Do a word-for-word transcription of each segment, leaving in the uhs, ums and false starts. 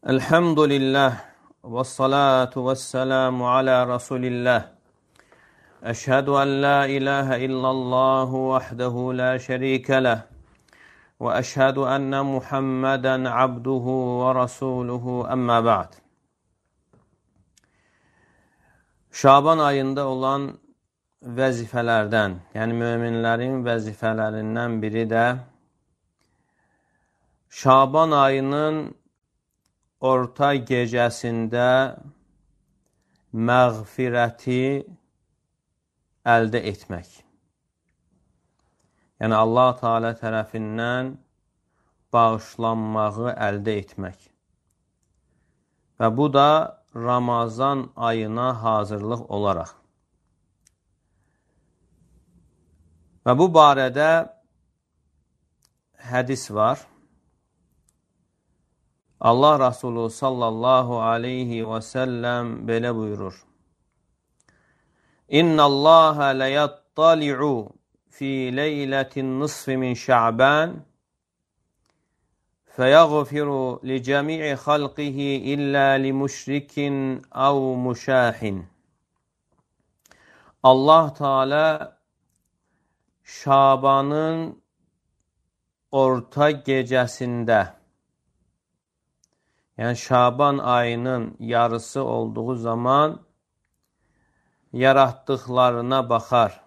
Elhamdülillah ve salatu ve selamu ala Resulillah. Eşhedü en la ilahe illallah vahdehu la şerike leh. Ve eşhedü enne Muhammeden abduhu ve rasuluhu emma ba'd. Şaban ayında olan vəzifələrdən, yəni möminlərin vəzifələrindən biri də Şaban ayının orta gecəsində məğfirəti əldə etmək. Yəni Allah Teala tərəfindən bağışlanmağı əldə etmək. Və bu da Ramazan ayına hazırlıq olaraq. Və bu barədə hədis var. Allah Resulü sallallahu aleyhi və səlləm belə buyurur. İnnallâhe leyattali'u fi leyletin nisfi min şa'ban feyaghfiru li cemi'i halqihi illa li müşrikin ev muşahin. Allah Teala Şabanın orta gecəsində, yəni Şaban ayının yarısı olduğu zaman yaratdıqlarına baxar,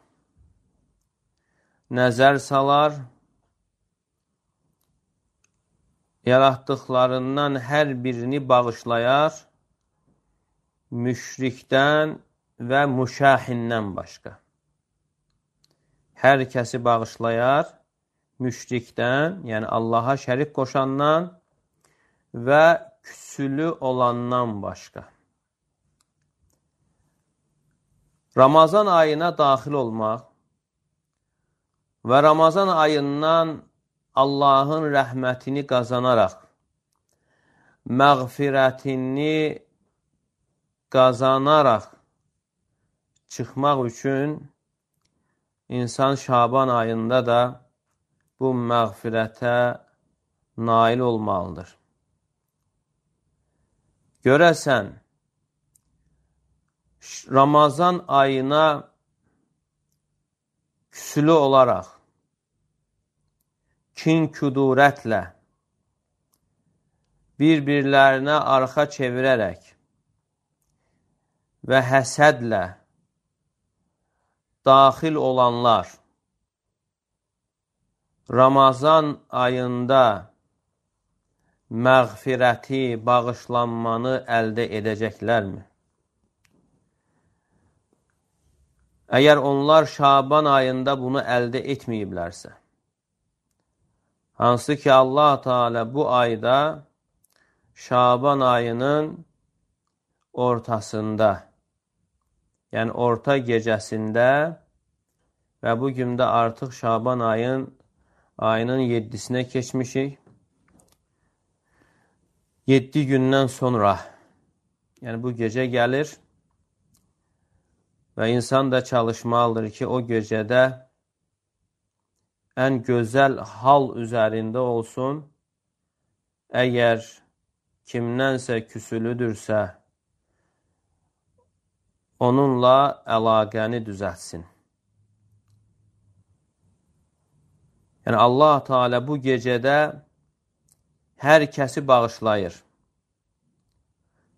nəzər salar, yaratdıqlarından hər birini bağışlayar, müşrikdən və müşahindən başqa. Hər kəsi bağışlayar, müşrikdən, yəni Allaha şərik qoşandan və küsülü olandan başqa. Ramazan ayına daxil olmaq və Ramazan ayından Allahın rəhmətini qazanaraq, məğfirətini qazanaraq çıxmaq üçün İnsan Şaban ayında da bu məğfirətə nail olmalıdır. Görəsən, Ramazan ayına küsülü olaraq, kin-küdurətlə, bir-birlərinə arxa çevirərək və həsədlə daxil olanlar Ramazan ayında məğfirəti, bağışlanmanı əldə edəcəklərmi? Əgər onlar Şaban ayında bunu əldə etməyiblərsə, hansı ki Allah Teala bu ayda Şaban ayının ortasında, yəni orta gecəsində və bu gün də artıq Şaban ayın ayının yeddisinə keçmişik. Yeddi gündən sonra, yəni bu gecə gəlir və insan da çalışmalıdır ki, o gecədə ən gözəl hal üzərində olsun. Əgər kimdənsə küsülüdürsə, onunla əlaqəni düzəltsin. Yəni Allah Teala bu gecədə hər kəsi bağışlayır.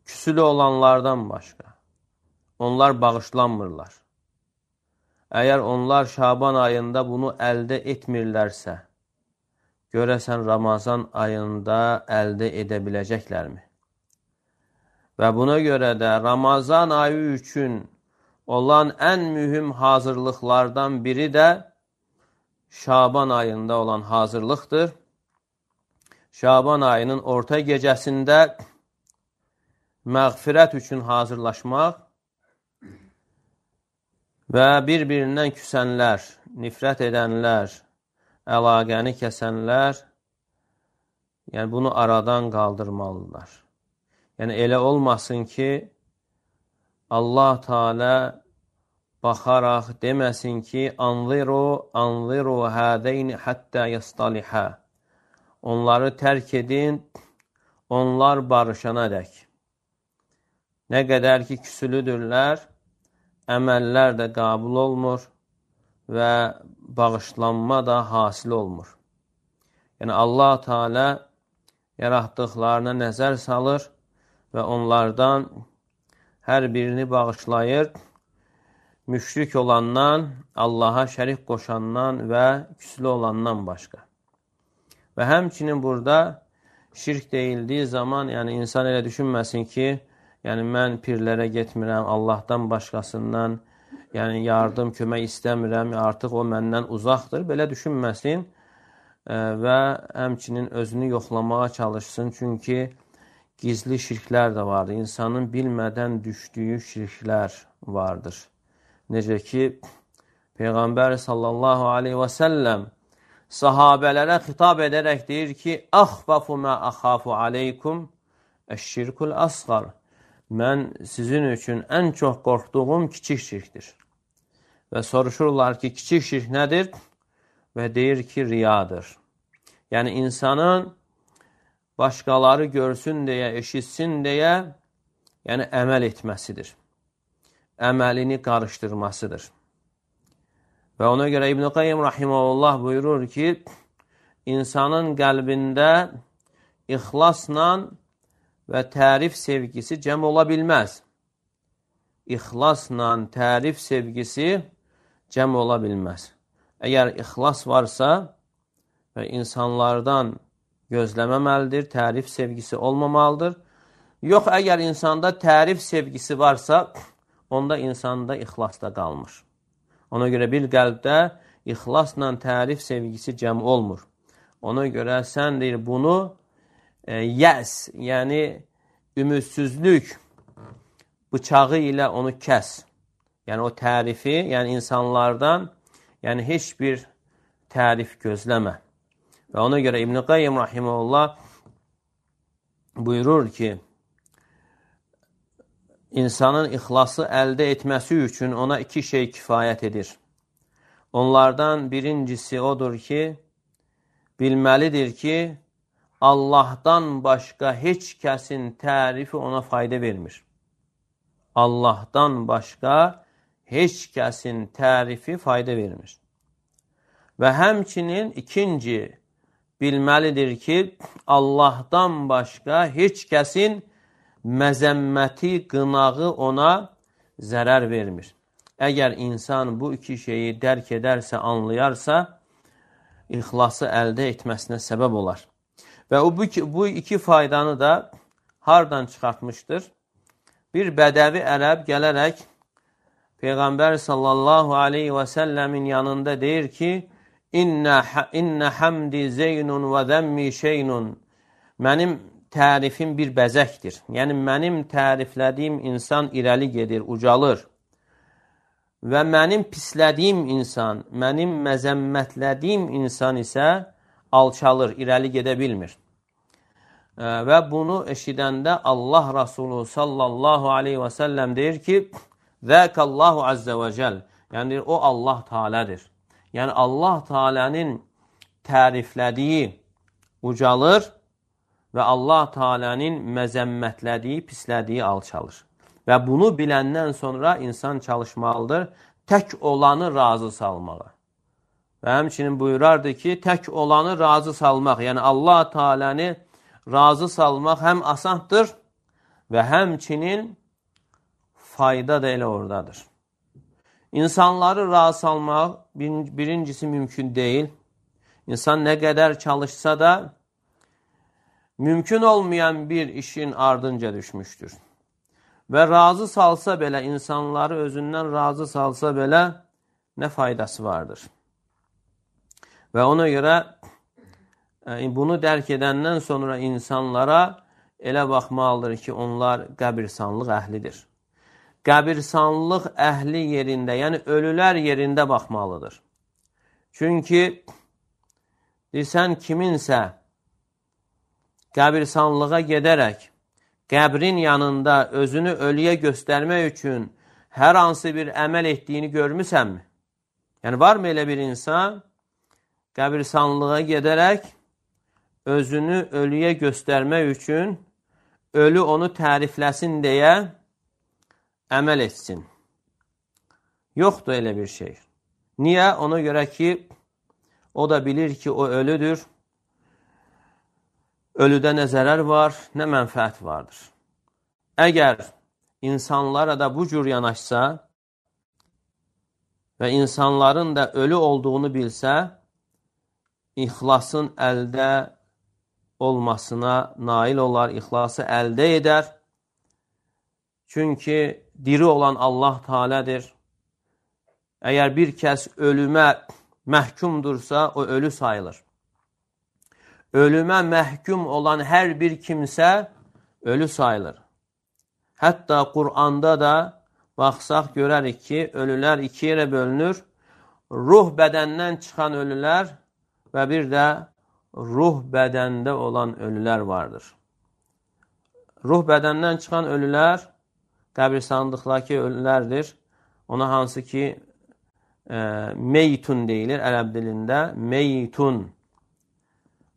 Küsülü olanlardan başqa. Onlar bağışlanmırlar. Əgər onlar Şaban ayında bunu əldə etmirlərsə, görəsən Ramazan ayında əldə edə biləcəklərmi? Və buna görə də Ramazan ayı üçün olan ən mühüm hazırlıqlardan biri də Şaban ayında olan hazırlıqdır. Şaban ayının orta gecəsində məğfirət üçün hazırlaşmaq və bir-birindən küsənlər, nifrət edənlər, əlaqəni kəsənlər, yəni bunu aradan qaldırmalıdırlar. Yəni elə olmasın ki, Allah Teala baxaraq deməsin ki, anziru, anziru hədeyni həttə yəstəlihə. Onları tərk edin, onlar barışana dək. Nə qədər ki, küsülüdürlər, əməllər də qabul olmur və bağışlanma da hasil olmur. Yəni, Allah Teala yaratdıqlarına nəzər salır və onlardan hər birini bağışlayır, müşrik olandan, Allaha şərik qoşandan və küslü olandan başqa. Və həmçinin burada şirk deyildiyi zaman, yəni insan elə düşünməsin ki, yəni mən pirlərə getmirəm, Allahdan başqasından, yəni yardım, kömək istəmirəm, artıq o məndən uzaqdır. Belə düşünməsin və həmçinin özünü yoxlamağa çalışsın. Çünki gizli şirklər də vardır. İnsanın bilmədən düşdüyü şirklər vardır. Necə ki, Peyğəmbər sallallahu aleyhi və səlləm sahabələrə xitab edərək deyir ki, "Əxfafu mə əxafu aleykum əş-şirkul əsğar." Mən sizin üçün ən çox qorxduğum kiçik şirkdir. Və soruşurlar ki, kiçik şirk nədir? Və deyir ki, riyadır. Yəni, insanın başqaları görsün deyə, eşitsin deyə, yəni əməl etməsidir. Əməlini qarışdırmasıdır. Və ona görə İbn-i Qayyim rahimehullah buyurur ki, insanın qəlbində ixlasla və tərif sevgisi cəm ola bilməz. İxlasla tərif sevgisi cəm ola bilməz. Əgər ixlas varsa və insanlardan gözləməməlidir, tərif sevgisi olmamalıdır. Yox, əgər insanda tərif sevgisi varsa, onda insanda ixlas da qalmır. Ona görə bir qəlbdə ixlasla tərif sevgisi cəm olmur. Ona görə sən deyir bunu e, yəs, yəni ümidsizlük bıçağı ilə onu kəs. Yəni o tərifi, yəni insanlardan yəni heç bir tərif gözləmə. Və ona görə İbn-i Qayyim rahimehullah buyurur ki, insanın ixlası əldə etməsi üçün ona iki şey kifayət edir. Onlardan birincisi odur ki, bilməlidir ki, Allahdan başqa heç kəsin tərifi ona fayda vermir. Allahdan başqa heç kəsin tərifi fayda vermir. Və həmçinin ikinci, bilməlidir ki, Allahdan başqa heç kəsin məzəmməti, qınağı ona zərər vermir. Əgər insan bu iki şeyi dərk edərsə, anlayarsa, ixlası əldə etməsinə səbəb olar. Və o, bu, bu iki faydanı da hardan çıxartmışdır? Bir bədəvi ərəb gələrək Peyğəmbər sallallahu aleyhi və səlləmin yanında deyir ki, İnnə, innə həmdi zeynun və zəmmi şeynun. Mənim tərifim bir bəzəkdir. Yəni, mənim təriflədiyim insan irəli gedir, ucalır. Və mənim pislədiyim insan, mənim məzəmmətlədiyim insan isə alçalır, irəli gedə bilmir. Və bunu eşidəndə Allah Rasulü sallallahu aleyhi və səlləm deyir ki, Zəkallahu azze və cəl. Yəni, o Allah Teala'dır. Yəni, Allah Teala'nın təriflədiyi ucalır və Allah Teala'nın məzəmmətlədiyi, pislədiyi alçalır. Və bunu biləndən sonra insan çalışmalıdır tək olanı razı salmağa. Və həmçinin buyurardı ki, tək olanı razı salmaq, yəni Allah Teala'nı razı salmaq həm asandır və həmçinin fayda da elə oradadır. İnsanları razı salmaq birincisi mümkün deyil. İnsan nə qədər çalışsa da mümkün olmayan bir işin ardınca düşmüşdür. Və razı salsa belə, insanları özündən razı salsa belə nə faydası vardır? Və ona görə bunu dərk edəndən sonra insanlara elə baxmalıdır ki, onlar qəbirsanlıq əhlidir. Qəbirsanlıq əhli yerində, yəni ölülər yerində baxmalıdır. Çünki desən kiminsə qəbirsanlığa gedərək qəbrin yanında özünü ölüyə göstərmək üçün hər hansı bir əməl etdiyini görmüsənmi? Yəni, varmı elə bir insan qəbirsanlığa gedərək özünü ölüyə göstərmək üçün ölü onu tərifləsin deyə əməl etsin. Yoxdur elə bir şey. Niyə? Ona görə ki, o da bilir ki, o ölüdür. Ölüdə nə zərər var, nə mənfəət vardır. Əgər insanlara da bu cür yanaşsa və insanların da ölü olduğunu bilsə, ixlasın əldə olmasına nail olar, ixlası əldə edər. Çünki diri olan Allah Teala'dır. Əgər bir kəs ölümə məhkumdursa, o ölü sayılır. Ölümə məhkum olan hər bir kimsə ölü sayılır. Hətta Qur'anda da baxsaq görərik ki, ölülər iki yerə bölünür. Ruh bədəndən çıxan ölülər və bir də ruh bədəndə olan ölülər vardır. Ruh bədəndən çıxan ölülər qəbristanlıqdakı ölülərdir. Ona hansı ki e, meytun deyilir ərəb dilində. Meytun.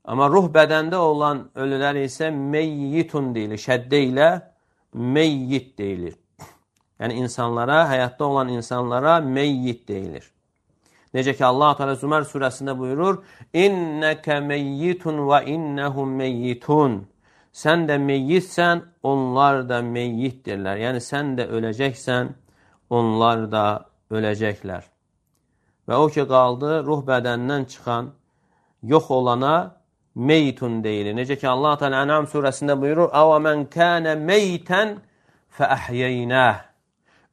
Amma ruh bədəndə olan ölülər isə meyyitun deyilir. Şəddə ilə meyyit deyilir. Yəni insanlara, həyatda olan insanlara meyyit deyilir. Necə ki Allah Teala Zümer surəsində buyurur: "İnneke meyyitun ve innehum meyyitun." Sən də meyyitsən, onlar da meyyitdirlər. Yəni sən də öləcəksən, onlar da öləcəklər. Və o ki qaldı ruh bədəndən çıxan, yox olana meytun deyilir. Necə ki Allah Teala En'am surəsində buyurur: "Ava men kana meyten fe ahyeynah."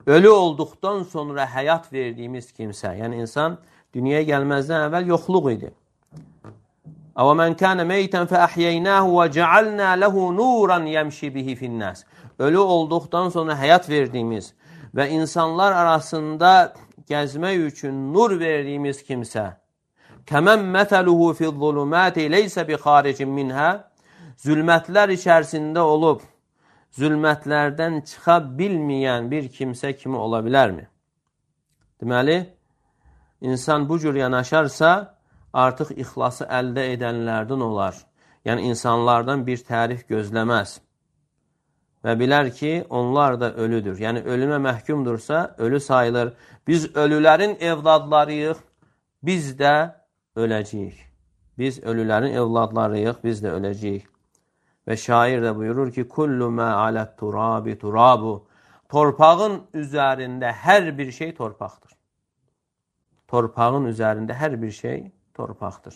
Ölü olduqdan sonra həyat verdiyimiz kimsə, yəni insan dünyaya gəlməzdən əvvəl yoxluq idi. "Ava men kana meyten fe ahyeynahu ve cealna lehu nuran yemşi bihi fi'n-nas." Ölü olduqdan sonra həyat verdiyimiz və insanlar arasında gəzmək üçün nur verdiyimiz kimsə, "Kəmən məsəluhu fi'z-zulumati leysa bi xaricin minha." Zülmətlər içərisində olub zülmətlərdən çıxa bilməyən bir kimsə kimi ola bilərmi? Deməli, insan bu cür yanaşarsa, artıq ixlası əldə edənlərdən olar. Yəni, insanlardan bir tərif gözləməz. Və bilər ki, onlar da ölüdür. Yəni, ölümə məhkumdursa, ölü sayılır. Biz ölülərin evladlarıyıq, biz də öləcəyik. Biz ölülərin evladlarıyıq, biz də öləcəyik. Və şair də buyurur ki, "Kullu mə alət turabi turabu." Torpağın üzərində hər bir şey torpaqdır. Torpağın üzərində hər bir şey torpaqdır.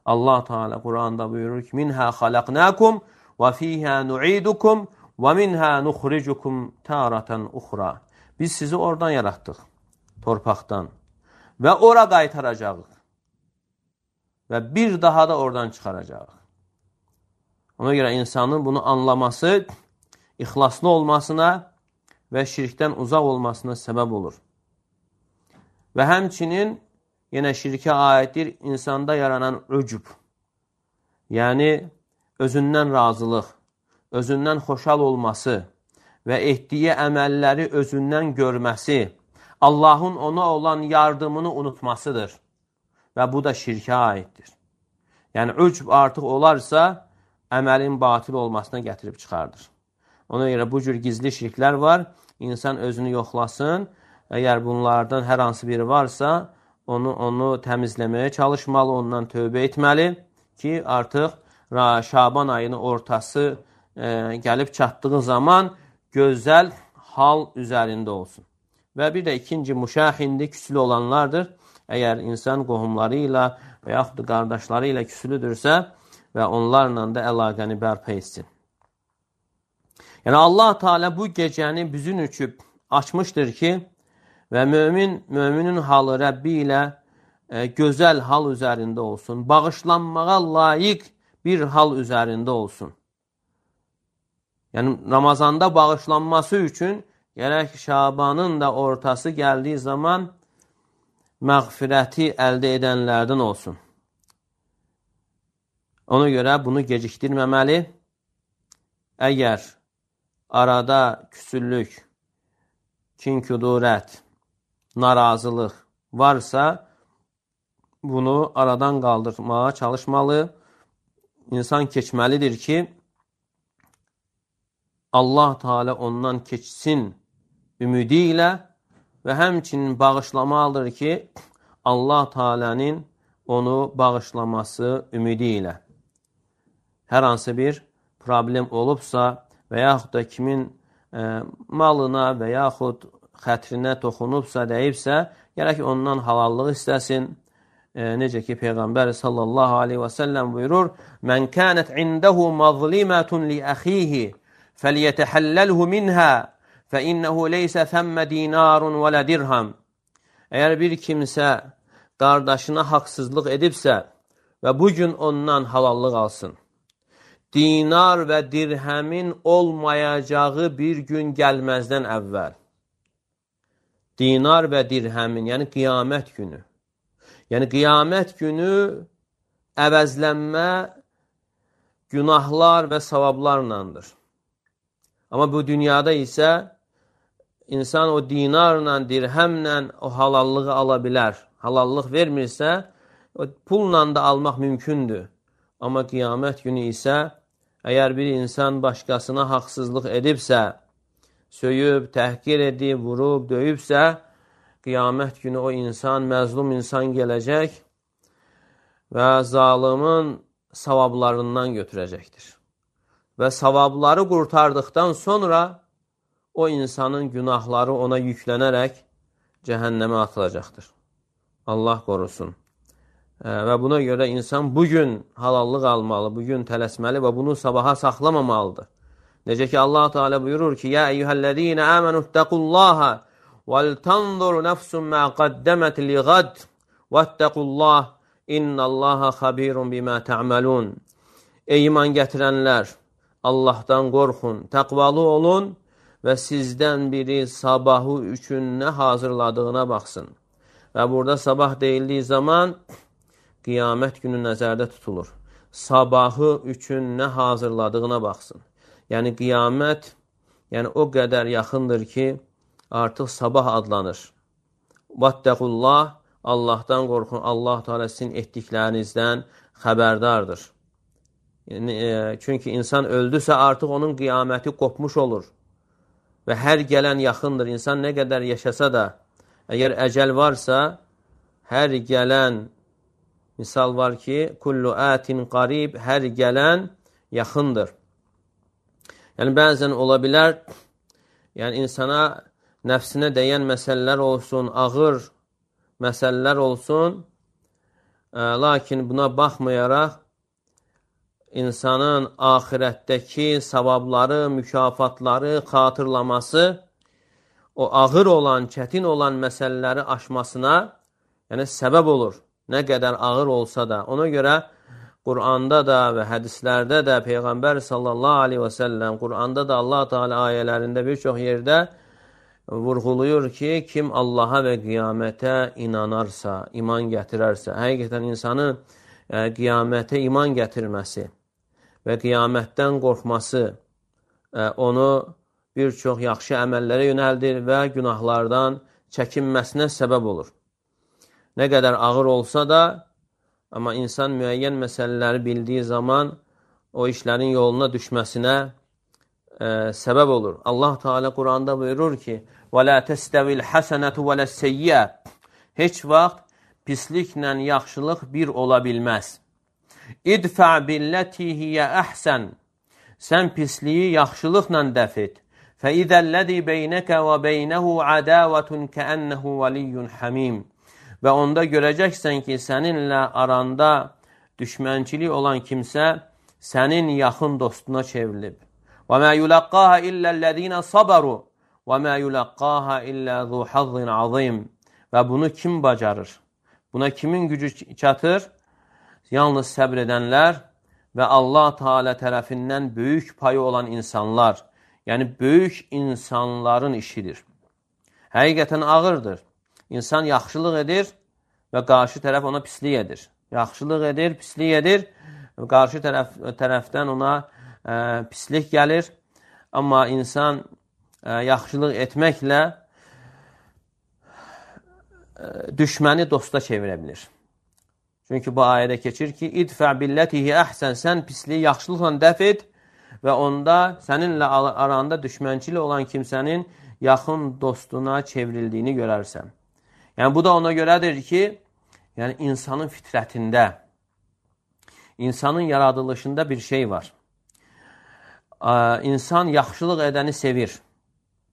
Allah Teala Qur'anda buyurur ki, "Minha xalaqnakum və fiha nu'idukum və minha nukhrijukum taratan ukhra." Biz sizi oradan yaratdıq, torpaqdan və ora qaytaracağıq və bir daha da oradan çıxaracağıq. Ona görə insanın bunu anlaması, ixlaslı olmasına və şirkdən uzaq olmasına səbəb olur. Və həmçinin, yenə şirkə aiddir, insanda yaranan ücub. Yəni, özündən razılıq, özündən xoşal olması və etdiyi əməlləri özündən görməsi, Allahın ona olan yardımını unutmasıdır. Və bu da şirkə aiddir. Yəni, ücub artıq olarsa, əməlin batil olmasına gətirib çıxardır. Ona görə bu cür gizli şirklər var. İnsan özünü yoxlasın. Əgər bunlardan hər hansı biri varsa, onu, onu təmizləməyə çalışmalı, ondan tövbə etməli ki, artıq Şaban ayının ortası e, gəlib çatdığı zaman gözəl hal üzərində olsun. Və bir də ikinci müşahindi küslü olanlardır. Əgər insan qohumları ilə və yaxud da qardaşları ilə küslüdürsə və onlarla da əlaqəni bərpa etsin. Yəni Allah Teala bu gecəni bizim üçün açmışdır ki, və mömin, möminin halı Rəbbi ilə e, gözəl hal üzərində olsun. Bağışlanmağa layiq bir hal üzərində olsun. Yəni Ramazanda bağışlanması üçün gərək Şabanın da ortası gəldiyi zaman məğfirəti əldə edənlərdən olsun. Ona görə bunu gecikdirməməli. Əgər arada küsüllük, kin-kudurət, narazılıq varsa, bunu aradan qaldırmağa çalışmalı insan keçməlidir ki, Allah Teala ondan keçsin ümidi ilə və həmçinin bağışlamalıdır ki, Allah Teala'nın onu bağışlaması ümidi ilə. Hər hansı bir problem olubsa və yaxud da kimin e, malına və yaxud xətrinə toxunubsa, dəyibsə, gərək ondan halallıq istəsin. E, necə ki, Peyğəmbər sallallahu aleyhi və səlləm buyurur, Mən kənət indəhu mazlimatun li əxihi fəliyətəhəlləlhu minhə fə innəhu leysə thəmmə dinarun və lə dirhəm. Əgər bir kimsə qardaşına haqsızlıq edibsə və bugün ondan halallıq alsın, dinar və dirhəmin olmayacağı bir gün gəlməzdən əvvəl. Dinar və dirhəmin, yəni qiyamət günü. Yəni qiyamət günü əvəzlənmə günahlar və savablarlandır. Amma bu dünyada isə insan o dinarla, dirhəmlə o halallığı ala bilər. Halallıq vermirsə, o pulla da almaq mümkündür. Amma qiyamət günü isə, əgər bir insan başqasına haqsızlıq edibsə, söyüb, təhqir edib, vurub, döyübsə, qiyamət günü o insan, məzlum insan gələcək və zalimin savablarından götürəcəkdir. Və savabları qurtardıqdan sonra o insanın günahları ona yüklənərək cəhənnəmə atılacaqdır. Allah qorusun. Və buna görə insan bugün halallıq almalı, bugün tələsməli və bunu sabaha saxlamamalıdır. Necə ki, Allah Teala buyurur ki, Yə eyyuhəl-ləzīnə əmənu ittəqullâhə vəl-tanzur nəfsun mə qaddəmət li-qad vəttəqullah innəllâhə xabirun bimə tə'məlun. Ey iman gətirənlər, Allahdan qorxun, təqvalı olun və sizdən biri sabahı üçün nə hazırladığına baxsın. Və burada sabah deyildiyi zaman qiyamət günü nəzərdə tutulur. Sabahı üçün nə hazırladığına baxsın. Yəni qiyamət yəni o qədər yaxındır ki, artıq sabah adlanır. Vattəqullah, Allahdan qorxun, Allah Teala sizin etdiklərinizdən xəbərdardır. Yəni, e, çünki insan öldüsə artıq onun qiyaməti qopmuş olur. Və hər gələn yaxındır. İnsan nə qədər yaşasa da, əgər əcəl varsa, hər gələn, misal var ki, kullu ətin qarib, hər gələn yaxındır. Yəni, bəzən ola bilər, yəni insana nəfsinə dəyən məsələlər olsun, ağır məsələlər olsun, ə, lakin buna baxmayaraq, insanın axirətdəki savabları, mükafatları, xatırlaması, o ağır olan, çətin olan məsələləri aşmasına yəni səbəb olur. Nə qədər ağır olsa da. Ona görə Quranda da və hədislərdə də Peyğəmbər sallallahu aleyhi və səlləm, Quranda da Allah Teala ayələrində bir çox yerdə vurğuluyur ki, kim Allaha və qiyamətə inanarsa, iman gətirərsə, həqiqətən insanın e, qiyamətə iman gətirməsi və qiyamətdən qorxması e, onu bir çox yaxşı əməllərə yönəldir və günahlardan çəkinməsinə səbəb olur. Nə qədər ağır olsa da, amma insan müəyyən məsələləri bildiyi zaman o işlərin yoluna düşməsinə e, səbəb olur. Allah Teala Quranda buyurur ki, وَلَا تَسْتَوِ الْحَسَنَةُ وَلَا السَّيِّئَةُ Heç vaxt pisliklə yaxşılıq bir ola bilməz. İdfə billəti hiyə əhsən Sən pisliyi yaxşılıqla dəf et. فَإِذَا الَّذِي بَيْنَكَ وَبَيْنَهُ عَدَاوَةٌ كَأَنَّهُ وَلِيٌّ حَمِيمٌ Və onda görəcəksən ki, səninlə aranda düşmənçilik olan kimsə sənin yaxın dostuna çevrilib. وَمَا يُلَقَّاهَ إِلَّا الَّذِينَ صَبَرُوا وَمَا يُلَقَّاهَ إِلَّا ذُو حَظٍّ عَظِيمٍ Və bunu kim bacarır? Buna kimin gücü çatır? Yalnız səbr edənlər və Allah Teala tərəfindən böyük payı olan insanlar, yəni böyük insanların işidir. Həqiqətən ağırdır. İnsan yaxşılıq edir və qarşı tərəf ona pislik edir. Yaxşılıq edir, pislik edir və qarşı tərəf, tərəfdən ona ə, pislik gəlir. Amma insan ə, yaxşılıq etməklə ə, düşməni dosta çevirə bilir. Çünki bu ayədə keçir ki, idfə billətihi əhsən, sən pisliyi yaxşılıqla dəf et və onda səninlə aranda düşmənçili olan kimsənin yaxın dostuna çevrildiyini görərsən. Yəni, bu da ona görədir ki, yəni insanın fitrətində, insanın yaradılışında bir şey var. İnsan yaxşılıq edəni sevir.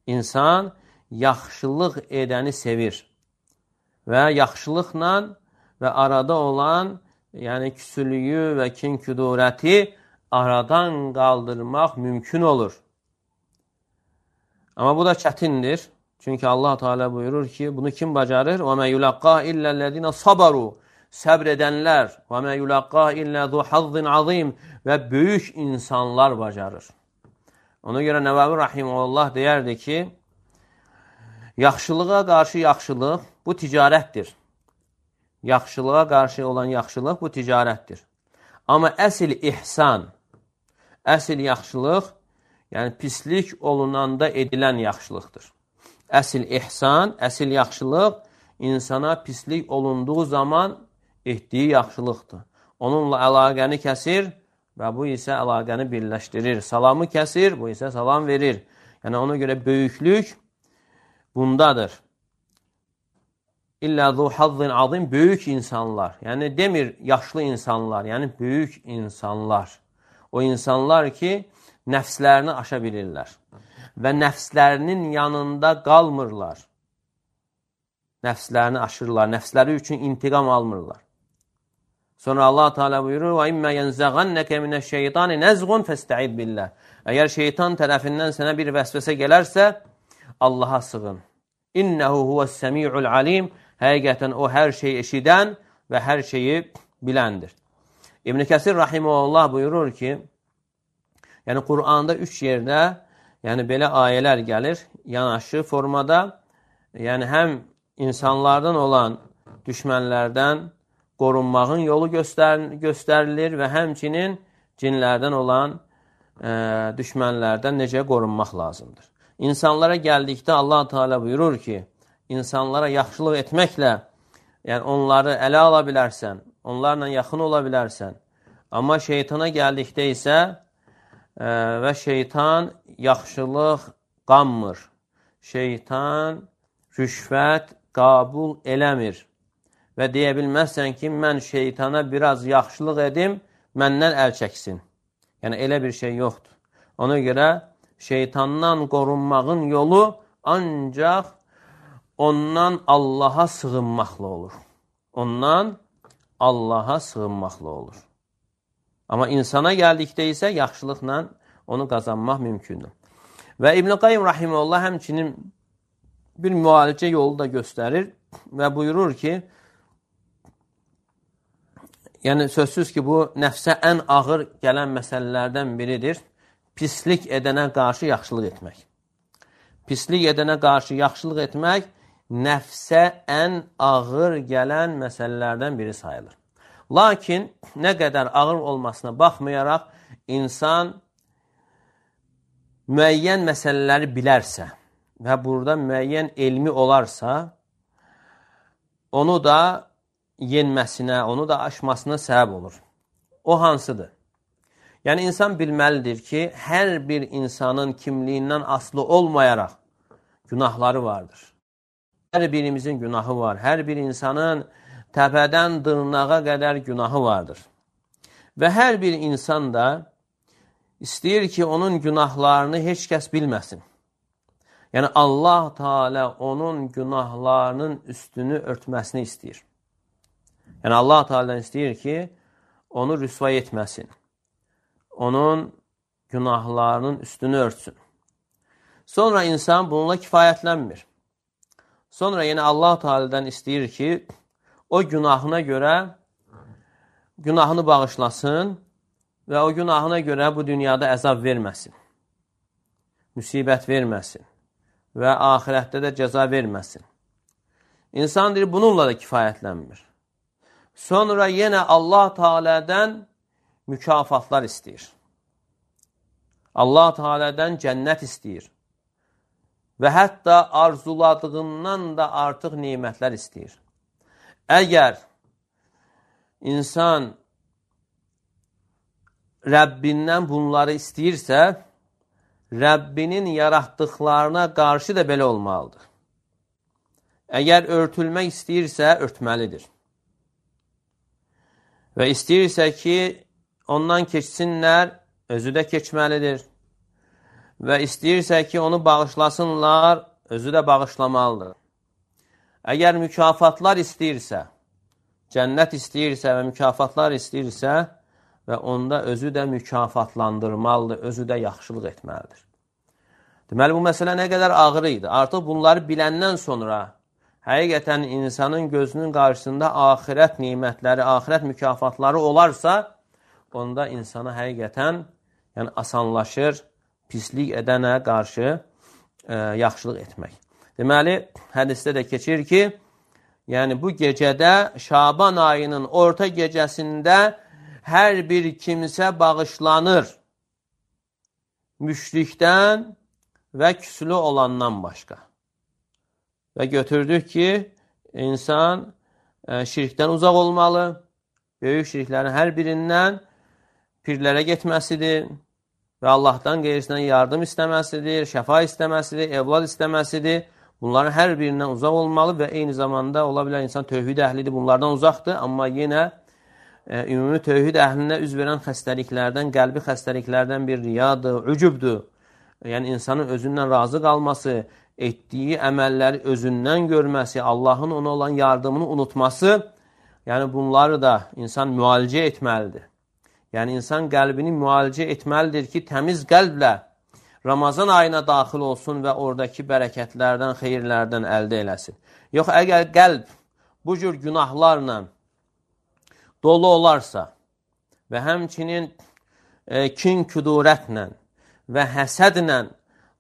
İnsan yaxşılıq edəni sevir. Və yaxşılıqla və arada olan, yəni küsülüyü və kin-küdurəti aradan qaldırmaq mümkün olur. Amma bu da çətindir. Çünki Allah Teala buyurur ki, bunu kim bacarır? وَمَا يُلَقَّا إِلَّا الَّذِينَ صَبَرُوا Səbr edənlər وَمَا يُلَقَّا إِلَّا ذُو حَظٍّ عَظِيمٍ və böyük insanlar bacarır. Ona görə Nəvəvi Rahimullah deyərdi ki, yaxşılığa qarşı yaxşılıq bu ticarətdir. Yaxşılığa qarşı olan yaxşılıq bu ticarətdir. Amma əsl ihsan, əsl yaxşılıq, yəni pislik olunanda edilən yaxşılıqdır. Əsl ihsan, əsl yaxşılıq insana pislik olunduğu zaman etdiyi yaxşılıqdır. Onunla əlaqəni kəsir və bu isə əlaqəni birləşdirir. Salamı kəsir, bu isə salam verir. Yəni ona görə böyüklük bundadır. İllə zu hazzin azim, böyük insanlar. Yəni demir yaşlı insanlar, yəni böyük insanlar. O insanlar ki, nəfslərini aşa bilirlər və nəfslərinin yanında qalmırlar. Nəfslərini aşırırlar, nəfsləri üçün intiqam almırlar. Sonra Allah Teala buyurur: "Və immə yenzəğannəkə minəş-şeytani nəzğun fəstəid billah." Əgər şeytan tərəfindən sənə bir vəsvəsə gələrsə, Allaha sığın. İnnehu huvəs-səmi'ul alim. Həqiqətən o hər şeyi eşidən və hər şeyi biləndir. İbn Kəsir rahimehullah buyurur ki, yəni Quranda üç yerdə, yəni belə ayələr gəlir, yanaşı formada, yəni həm insanlardan olan düşmənlərdən qorunmağın yolu göstər göstərilir və həmçinin cinlərdən olan e, düşmənlərdən necə qorunmaq lazımdır. İnsanlara gəldikdə Allah Teala buyurur ki, insanlara yaxşılıq etməklə, yəni onları ələ ala bilərsən, onlarla yaxın ola bilərsən. Amma şeytana gəldikdə isə e, və şeytan yaxşılıq qanmır. Şeytan rüşvət qəbul eləmir. Və deyə bilməzsən ki, mən şeytana biraz yaxşılıq edim, məndən əl çəksin. Yəni, elə bir şey yoxdur. Ona görə şeytandan qorunmağın yolu ancaq ondan Allaha sığınmaqla olur. Ondan Allaha sığınmaqla olur. Amma insana gəldikdə isə yaxşılıqla onu qazanmaq mümkündür. Və İbn Qayyim rahimehullah həmçinin bir müalicə yolu da göstərir və buyurur ki, yəni sözsüz ki, bu nəfsə ən ağır gələn məsələlərdən biridir. Pislik edənə qarşı yaxşılıq etmək. Pislik edənə qarşı yaxşılıq etmək nəfsə ən ağır gələn məsələlərdən biri sayılır. Lakin nə qədər ağır olmasına baxmayaraq, insan müəyyən məsələləri bilərsə və burada müəyyən elmi olarsa, onu da yenməsinə, onu da aşmasına səbəb olur. O hansıdır? Yəni, insan bilməlidir ki, hər bir insanın kimliyindən asılı olmayaraq günahları vardır. Hər birimizin günahı var. Hər bir insanın təpədən dırnağa qədər günahı vardır. Və hər bir insan da istəyir ki, onun günahlarını heç kəs bilməsin. Yəni, Allah Teala onun günahlarının üstünü örtməsini istəyir. Yəni, Allah Teala'dan istəyir ki, onu rüsvay etməsin. Onun günahlarının üstünü örtsün. Sonra insan bununla kifayətlənmir. Sonra yenə Allah Teala'dan istəyir ki, o günahına görə günahını bağışlasın və o günahına görə bu dünyada əzab verməsin. Müsibət verməsin və ahirətdə də cəza verməsin. İnsan deyir, bununla da kifayətlənmir. Sonra yenə Allah Teala'dan mükafatlar istəyir. Allah Teala'dan cənnət istəyir. Və hətta arzuladığından da artıq nemətlər istəyir. Əgər insan Rəbbindən bunları istəyirsə, Rəbbinin yaratdıqlarına qarşı da belə olmalıdır. Əgər örtülmək istəyirsə, örtməlidir. Və istəyirsə ki, ondan keçsinlər, özü də keçməlidir. Və istəyirsə ki, onu bağışlasınlar, özü də bağışlamalıdır. Əgər mükafatlar istəyirsə, cənnət istəyirsə və mükafatlar istəyirsə və onda özü də mükafatlandırmalıdır, özü də yaxşılıq etməlidir. Deməli, bu məsələ nə qədər ağır idi. Artıq bunları biləndən sonra həqiqətən insanın gözünün qarşısında axirət nimətləri, axirət mükafatları olarsa, onda insana həqiqətən yəni, asanlaşır pislik edənə qarşı e, yaxşılıq etmək. Deməli, hədisdə də keçir ki, yəni bu gecədə Şaban ayının orta gecəsində hər bir kimsə bağışlanır müşrikdən və küslü olandan başqa. Və götürdük ki, insan e, şirkdən uzaq olmalı, böyük şirklərin hər birindən pirlərə getməsidir və Allahdan qeyrisindən yardım istəməsidir, şəfa istəməsidir, evlad istəməsidir. Bunların hər birindən uzaq olmalı və eyni zamanda ola bilər insan tövhid əhlidir, bunlardan uzaqdır, amma yenə e, ümumi tövhid əhlinə üz verən xəstəliklərdən, qəlbi xəstəliklərdən bir riyadır, ücübdür. Yəni insanın özündən razı qalması, etdiyi əməlləri özündən görməsi, Allahın ona olan yardımını unutması, yəni bunları da insan müalicə etməlidir. Yəni insan qəlbini müalicə etməlidir ki, təmiz qəlblə Ramazan ayına daxil olsun və oradakı bərəkətlərdən, xeyirlərdən əldə eləsin. Yox, əgər qəlb bu cür günahlarla dolu olarsa və həmçinin e, kin küdurətlə və həsədlə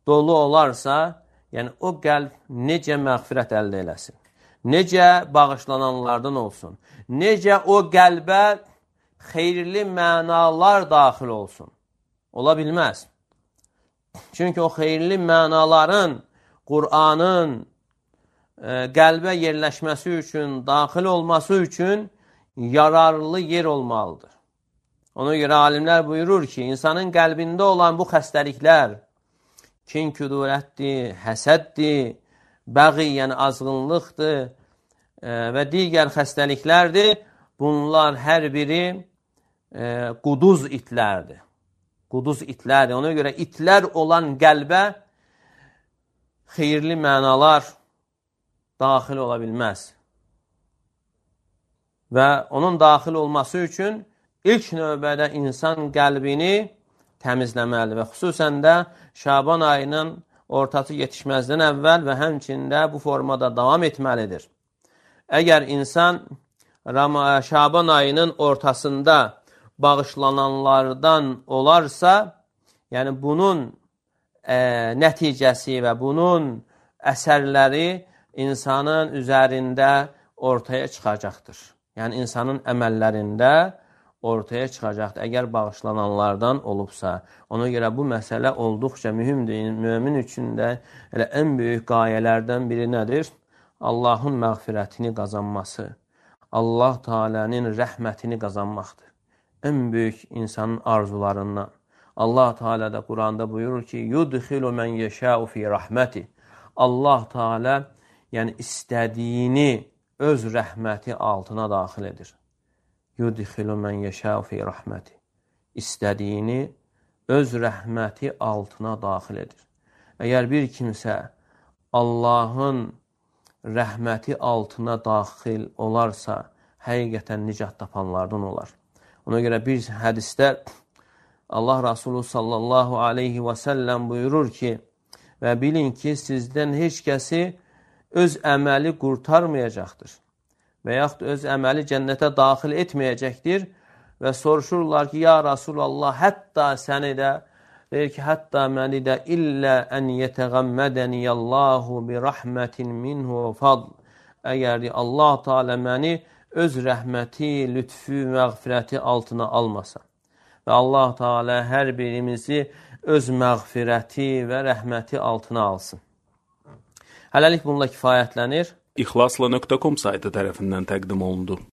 dolu olarsa, yəni o qəlb necə məğfirət əldə eləsin, necə bağışlananlardan olsun, necə o qəlbə xeyirli mənalar daxil olsun. Ola bilməz. Çünki o xeyirli mənaların, Qur'anın e, qəlbə yerləşməsi üçün, daxil olması üçün yararlı yer olmalıdır. Ona görə alimlər buyurur ki, insanın qəlbində olan bu xəstəliklər, kin küdurətdir, həsəddir, bəği, yəni azğınlıqdır e, və digər xəstəliklərdir. Bunlar hər biri e, quduz itlərdir. Quduz itlərdir. Ona görə itlər olan qəlbə xeyirli mənalar daxil ola bilməz. Və onun daxil olması üçün ilk növbədə insan qəlbini təmizləməli və xüsusən də Şaban ayının ortası yetişməzdən əvvəl və həmçində bu formada davam etməlidir. Əgər insan Şaban ayının ortasında bağışlananlardan olarsa, yəni bunun e, nəticəsi və bunun əsərləri insanın üzərində ortaya çıxacaqdır. Yəni insanın əməllərində ortaya çıxacaqdır, əgər bağışlananlardan olubsa. Ona görə bu məsələ olduqca mühümdür. Mömin üçün də elə ən böyük qayələrdən biri nədir? Allahın məğfirətini qazanması, Allah Teala'nın rəhmətini qazanmaqdır. Ən böyük insanın arzularından. Allah Teala da Quranda buyurur ki, yudxilu men yeşâ'u fi rahmeti. Allah Teala yəni istədiyini öz rəhməti altına daxil edir. Yudxilu men yeşâ'u fi rahmeti. İstədiyini öz rəhməti altına daxil edir. Əgər bir kimsə Allahın rəhməti altına daxil olarsa, həqiqətən nicat tapanlardan olar. Ona görə bir hədisdə Allah Rasulü sallallahu aleyhi və səlləm buyurur ki, və bilin ki, sizdən heç kəsi öz əməli qurtarmayacaqdır və yaxud öz əməli cənnətə daxil etməyəcəkdir və soruşurlar ki, ya Rasulallah, hətta səni də, deyir ki, hətta məni də illə ən yetəğəmmədəniyəllahu bi rəhmətin minhu fadl. Əgər Allah Teala məni öz rəhməti, lütfü, məğfirəti altına almasa və Allah Teala hər birimizi öz məğfirəti və rəhməti altına alsın. Hələlik bununla kifayətlənir. İxlasla nöqtə com saytı tərəfindən təqdim olundu.